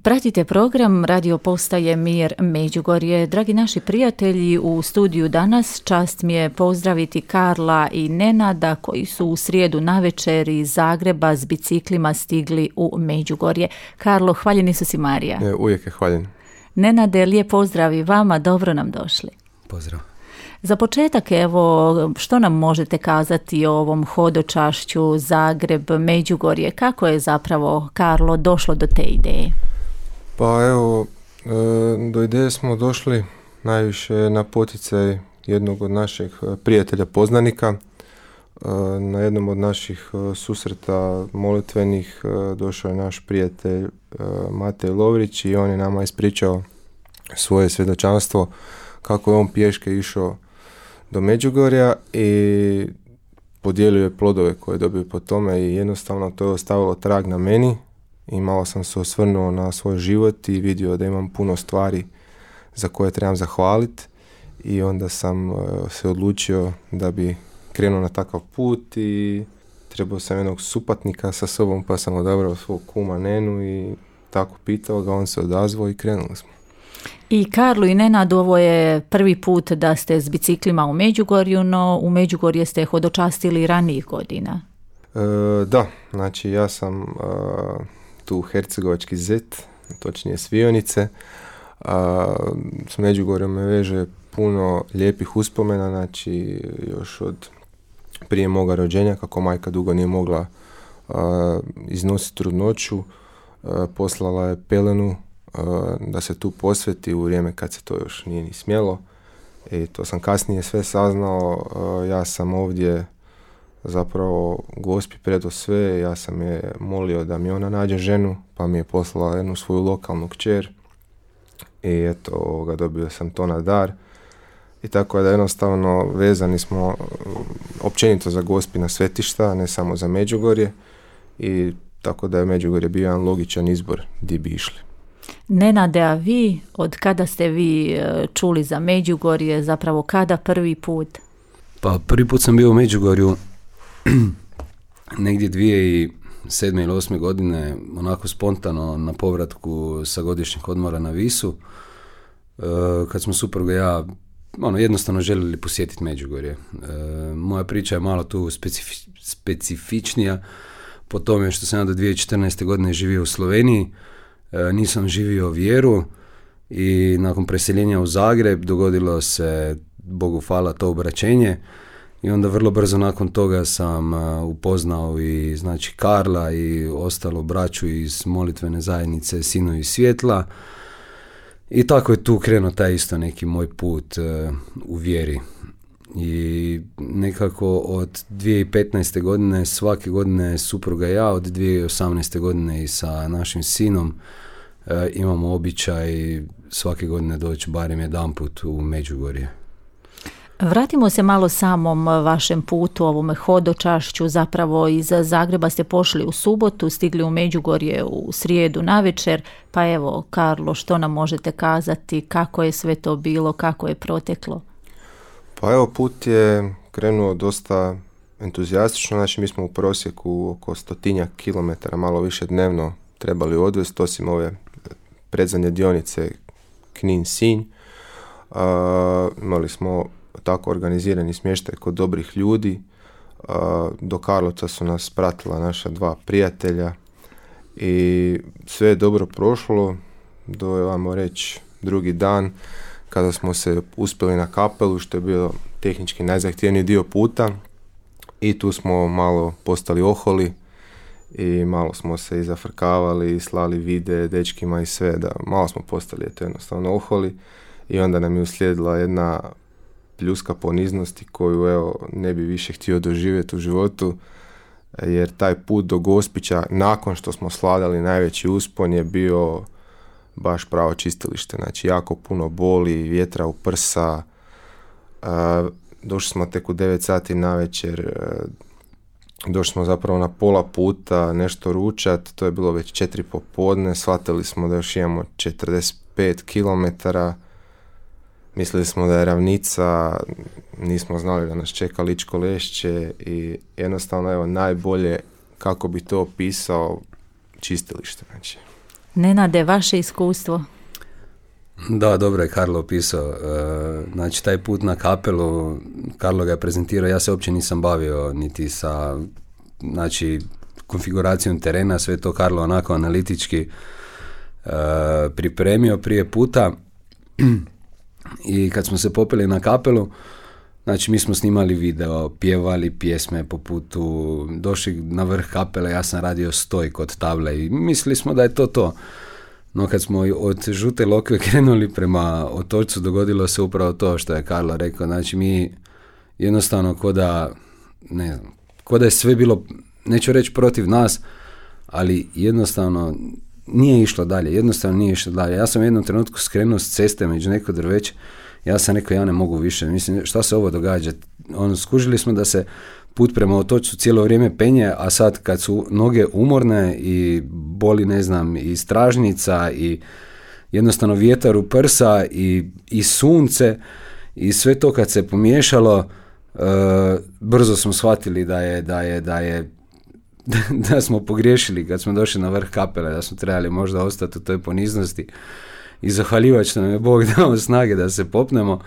Pratite program Radio Postaje Mir Međugorje. Dragi naši prijatelji, u studiju danas čast mi je pozdraviti Karla i Nenada koji su u srijedu navečer iz Zagreba s biciklima stigli u Međugorje. Karlo, hvaljeni su si Marija. Uvijek je hvaljen. Nenade, lijep pozdrav i vama, dobro nam došli. Pozdrav. Za početak, evo, što nam možete kazati o ovom hodočašću Zagreb-Međugorje? Kako je zapravo, Karlo, došlo do te ideje? Pa evo, do ideje smo došli najviše na poticaj jednog od naših prijatelja poznanika. Na jednom od naših susreta molitvenih došao je naš prijatelj Matej Lovrić i on je nama ispričao svoje svjedočanstvo kako je on pješke išao do Međugorja i podijelio je plodove koje je dobio po tome i jednostavno to je ostavilo trag na meni i malo sam se osvrnuo na svoj život i vidio da imam puno stvari za koje trebam zahvaliti i onda sam se odlučio da bi krenuo na takav put i trebao sam jednog supatnika sa sobom pa sam odabrao svog kuma Nenu i tako pitao ga, on se odazvao i krenuli smo. I Karlu i Nenadu, ovo je prvi put da ste s biciklima u Međugorju, no u Međugorje ste hodočastili ranijih godina. Da, znači ja sam tu hercegovački zet, točnije Svionice. S Međugorjem me veže puno lijepih uspomena, znači još od prije moga rođenja, kako majka dugo nije mogla iznositi trudnoću, poslala je pelenu da se tu posveti u vrijeme kad se to još nije ni smjelo i to sam kasnije sve saznao. Ja sam ovdje zapravo Gospi predao sve, ja sam je molio da mi ona nađe ženu, pa mi je poslala jednu svoju lokalnu kćer i eto, dobio sam to na dar i tako da jednostavno vezani smo općenito za Gospina svetišta, ne samo za Međugorje i tako da je Međugorje bio jedan logičan izbor gdje bi išli. Nenade, a vi, od kada ste vi čuli za Međugorje, zapravo kada prvi put? Pa prvi put sam bio u Međugorju negdje 2007. ili 2008. godine, onako spontano na povratku sa godišnjeg odmora na Visu, kad smo supruga i ja jednostavno željeli posjetiti Međugorje. Moja priča je malo tu specifičnija po tome što sam ja do 2014. godine živio u Sloveniji, nisam živio vjeru i nakon preseljenja u Zagreb dogodilo se, Bogu hvala, to obraćenje i onda vrlo brzo nakon toga sam upoznao i znači Karla i ostalo braću iz molitvene zajednice Sinovi svjetla i tako je tu krenuo taj isto neki moj put u vjeri. I nekako od 2015. godine svake godine supruga i ja, od 2018. godine i sa našim sinom imamo običaj svake godine doći barem jedanput u Međugorje. Vratimo se malo samom vašem putu, ovom hodočašću. Zapravo iz Zagreba ste pošli u subotu, stigli u Međugorje u srijedu navečer, pa evo, Karlo, što nam možete kazati, kako je sve to bilo, kako je proteklo? Pa evo, put je krenuo dosta entuzijastično, znači mi smo u prosjeku oko 100 kilometara, malo više dnevno trebali odvesti, osim ove predzadnje dionice Knin-Sinj. Imali smo tako organizirani smještaj kod dobrih ljudi. Do Karlovca su nas pratila naša dva prijatelja i sve je dobro prošlo do, ajmo reći, drugi dan kada smo se uspjeli na kapelu, što je bio tehnički najzahtjevniji dio puta i tu smo malo postali oholi i malo smo se i zafrkavali i slali vide dečkima i sve, da malo smo postali jednostavno oholi i onda nam je uslijedila jedna pljuska poniznosti koju evo ne bi više htio doživjeti u životu, jer taj put do Gospića nakon što smo sladali najveći uspon je bio baš pravo čistilište, znači jako puno boli, vjetra u prsa, došli smo tek u 9 sati navečer, došli smo zapravo na pola puta, nešto ručat, to je bilo već 4 popodne, shvatili smo da još imamo 45 kilometara, mislili smo da je ravnica, nismo znali da nas čeka Ličko Lešće i jednostavno evo najbolje kako bi to opisao čistilište, znači. Nenade, vaše iskustvo? Da, dobro je Karlo opisao. Znači, taj put na kapelu, Karlo ga je prezentirao, ja se uopće nisam bavio niti sa, znači, konfiguracijom terena, sve to Karlo onako analitički pripremio prije puta. I kad smo se popeli na kapelu, znači mi smo snimali video, pjevali pjesme po putu, došli na vrh kapele, ja sam radio stoj kod table i mislili smo da je to. No kad smo od Žute Lokve krenuli prema otočcu, dogodilo se upravo to što je Karlo rekao. Znači mi jednostavno ko da je sve bilo, neću reći protiv nas, ali jednostavno nije išlo dalje. Ja sam u jednom trenutku skrenuo s ceste među neko drveće. Ja sam rekao, ja ne mogu više. Mislim, šta se ovo događa? Skužili smo da se put prema otočcu cijelo vrijeme penje, a sad kad su noge umorne i boli, ne znam, i stražnica i jednostavno vjetar u prsa i sunce i sve to kad se pomiješalo, brzo smo shvatili da smo pogriješili kad smo došli na vrh kapele, da smo trebali možda ostati u toj poniznosti i zahvaljivač što nam je Bog dao snage da se popnemo.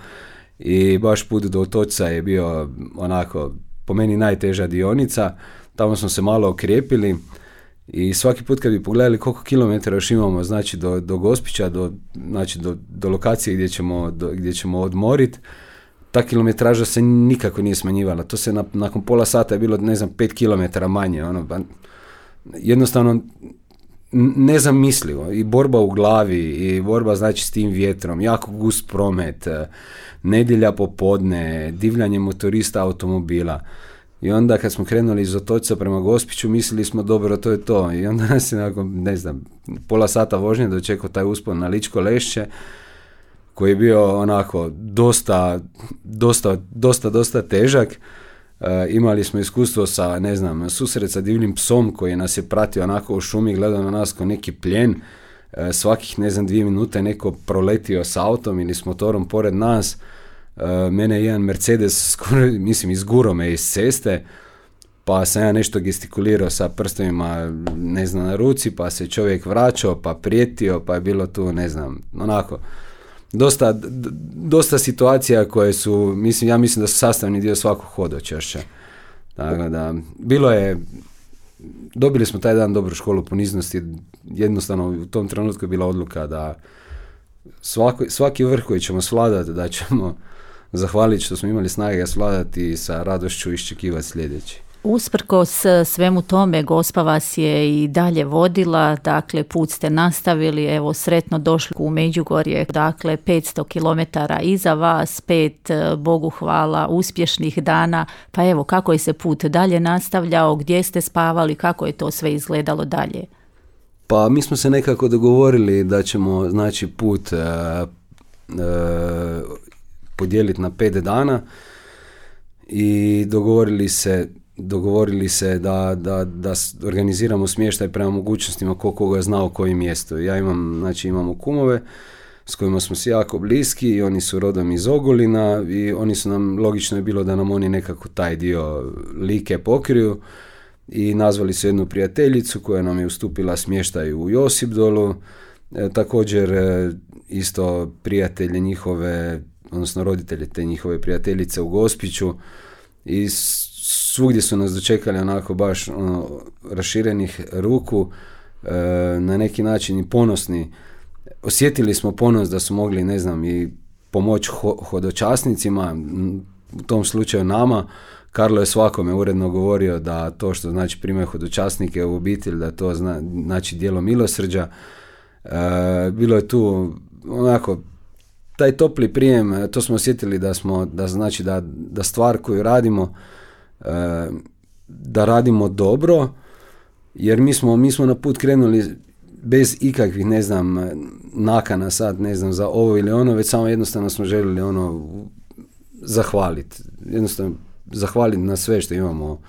I baš put do otočca je bio onako po meni najteža dionica. Tamo smo se malo okrijepili i svaki put kad bi pogledali koliko kilometara još imamo, znači do Gospića, do lokacije gdje ćemo odmoriti, ta kilometraža se nikako nije smanjivala. To se nakon pola sata je bilo, ne znam, 5 kilometara manje. Jednostavno nezamislivo. I borba u glavi, i borba znači s tim vjetrom, jako gust promet, nedjelja popodne, divljanje motorista automobila. I onda kad smo krenuli iz otočca prema Gospiću, mislili smo dobro, to je to. I onda nas je nakon, ne znam, pola sata vožnje dočekao taj uspon na Ličko Lešće, koji je bio onako dosta težak. Imali smo iskustvo sa, ne znam, susret sa divljim psom koji nas je pratio onako u šumi, gledao na nas kao neki plijen. Svakih, ne znam, 2 minute neko proletio s autom ili s motorom pored nas. Mene je jedan Mercedes, izgurao me iz ceste, pa sam ja nešto gestikulirao sa prstovima, ne znam, na ruci, pa se čovjek vraćao, pa prijetio, pa je bilo tu, ne znam, onako, dosta situacija koje su, ja mislim da su sastavni dio svakog hodočašća. Tako da, dobili smo taj dan dobru školu poniznosti, jednostavno u tom trenutku je bila odluka da svaki vrh koji ćemo svladati, da ćemo zahvaliti što smo imali snage ga svladati i sa radošću iščekivati sljedeći. Usprkos svemu tome, Gospa vas je i dalje vodila, dakle put ste nastavili, evo sretno došli u Međugorje, dakle 500 km iza vas, 5, Bogu hvala, uspješnih dana, pa evo kako je se put dalje nastavljao, gdje ste spavali, kako je to sve izgledalo dalje? Pa mi smo se nekako dogovorili da ćemo, znači, put podijeliti na 5 dana i dogovorili se da organiziramo smještaj prema mogućnostima koga je znao koji mjesto. Ja imamo kumove s kojima smo si jako bliski i oni su rodom iz Ogulina i oni su nam, logično je bilo da nam oni nekako taj dio Like pokriju i nazvali su jednu prijateljicu koja nam je ustupila smještaj u Josipdolu, također isto prijatelje njihove, odnosno roditelje te njihove prijateljice u Gospiću i svugdje su nas dočekali onako baš raširenih ruku, na neki način i ponosni. Osjetili smo ponos da su mogli, ne znam, i pomoć hodočasnicima, u tom slučaju nama. Karlo je svakome uredno govorio da to što znači primaju hodočasnike u obitelj, da to znači djelo milosrđa. Bilo je tu onako taj topli prijem, to smo osjetili da stvar koju radimo, da radimo dobro, jer mi smo na put krenuli bez ikakvih, ne znam, nakana sad, ne znam, za ovo ili ono, već samo jednostavno smo željeli zahvaliti. Jednostavno zahvaliti na sve što imamo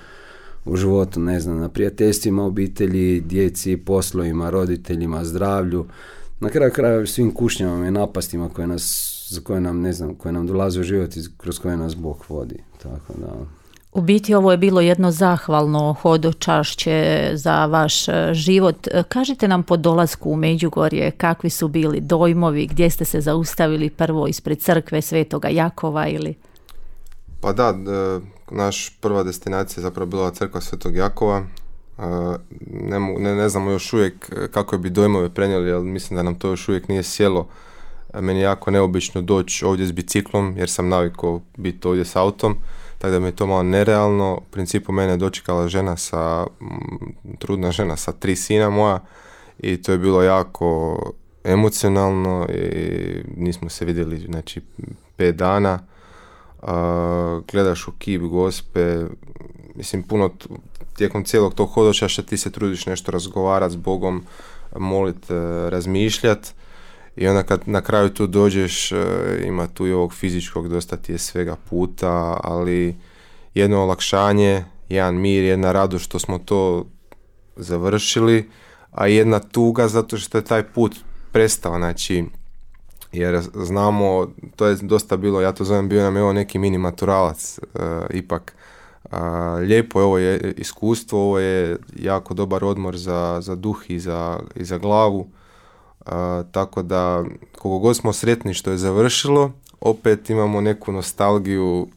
u životu, ne znam, na prijateljstvima, obitelji, djeci, poslovima, roditeljima, zdravlju, na kraju krajeva svim kušnjama i napastima koje nam dolaze u život i kroz koje nas Bog vodi. Tako da. U biti ovo je bilo jedno zahvalno hodočašće za vaš život. Kažite nam po dolasku u Međugorje kakvi su bili dojmovi, gdje ste se zaustavili prvo ispred crkve Svetoga Jakova ili? Pa da, naš prva destinacija je zapravo bila crkva Svetog Jakova. Ne znamo još uvijek kako bi dojmove prenijeli, ali mislim da nam to još uvijek nije sjelo. Meni je jako neobično doći ovdje s biciklom, jer sam navikao biti ovdje s autom, tako da mi je to malo nerealno. U principu mene je dočekala trudna žena sa 3 sina moja i to je bilo jako emocionalno i nismo se vidjeli, znači, 5 dana. Gledaš u kip Gospe, mislim, puno tijekom cijelog tog hodočašća ti se trudiš nešto razgovarati s Bogom, moliti, razmišljati. I onda kad na kraju tu dođeš, ima tu i ovog fizičkog, dosta ti je svega puta, ali jedno olakšanje, jedan mir, jedna radost što smo to završili, a jedna tuga zato što je taj put prestao, znači, jer znamo, to je dosta bilo, ja to zovem, bio nam je ovo neki mini maturalac, ipak. Lijepo je, ovo je iskustvo, ovo je jako dobar odmor za duh i za glavu. Tako da, koliko god smo sretni što je završilo, opet imamo neku nostalgiju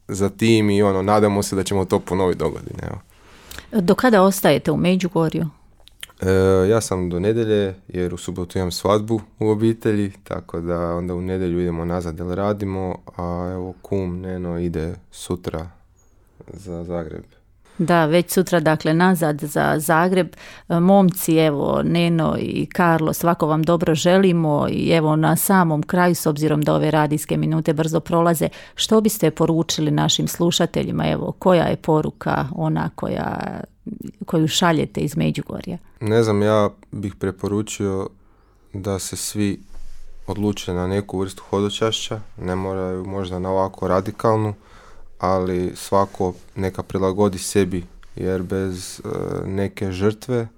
za tim i nadamo se da ćemo to ponoviti dogodine. Evo. Do kada ostajete u Međugorju? Ja sam do nedjelje, jer u subotu imam svadbu u obitelji, tako da onda u nedjelju idemo nazad jer radimo, a evo kum Neno ide sutra za Zagreb. Da, već sutra, dakle, nazad za Zagreb. Momci, evo, Neno i Karlo, svako vam dobro želimo i evo na samom kraju, s obzirom da ove radijske minute brzo prolaze, što biste poručili našim slušateljima? Evo, koja je poruka ona koju šaljete iz Međugorja? Ne znam, ja bih preporučio da se svi odluče na neku vrstu hodočašća, ne moraju možda na ovako radikalnu, ali svako neka prilagodi sebi, jer bez neke žrtve,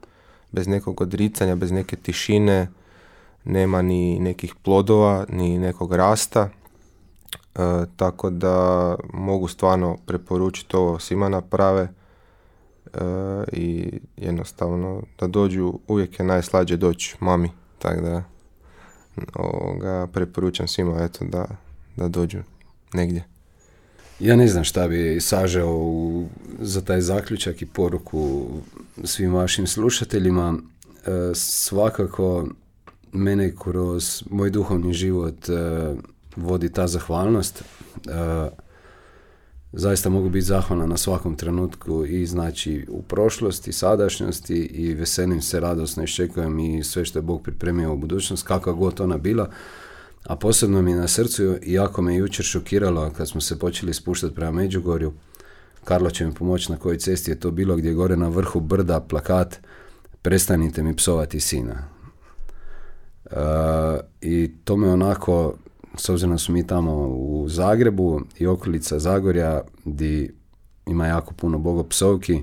bez nekog odricanja, bez neke tišine nema ni nekih plodova, ni nekog rasta, tako da mogu stvarno preporučiti ovo svima naprave i jednostavno da dođu, uvijek je najslađe doći mami, tako da preporučam svima, eto, da dođu negdje. Ja ne znam šta bi sažeo za taj zaključak i poruku svim vašim slušateljima. Svakako mene kroz moj duhovni život vodi ta zahvalnost. Zaista mogu biti zahvalan na svakom trenutku i znači u prošlosti, sadašnjosti i veselim se, radosno iščekujem i sve što je Bog pripremio u budućnost, kakva god ona bila. A posebno mi je na srcu, iako me jučer šokiralo kad smo se počeli spuštati prema Međugorju, Karlo će mi pomoći na kojoj cesti je to bilo, gdje je gore na vrhu brda plakat "Prestanite mi psovati sina". I to me onako, s obzirom da su mi tamo u Zagrebu i okolica Zagorja, gdje ima jako puno bogopsovki,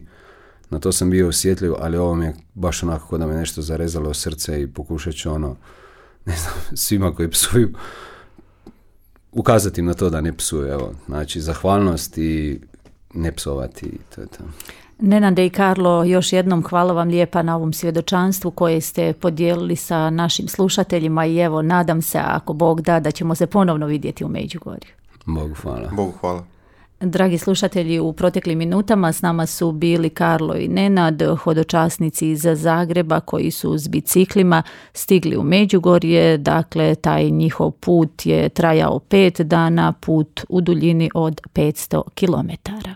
na to sam bio osjetljiv, ali ovo mi je baš onako kao da me nešto zarezalo u srce i pokušat ću ne znam, svima koji psuju, ukazati im na to da ne psuju. Evo, znači, zahvalnost i ne psovati. To je to. Nenade i Karlo, još jednom hvala vam lijepa na ovom svjedočanstvu koje ste podijelili sa našim slušateljima i evo, nadam se, ako Bog da ćemo se ponovno vidjeti u Međugorju. Bogu hvala. Bogu hvala. Dragi slušatelji, u proteklim minutama s nama su bili Karlo i Nenad, hodočasnici iz Zagreba koji su s biciklima stigli u Međugorje. Dakle, taj njihov put je trajao 5 dana, put u duljini od 500 kilometara.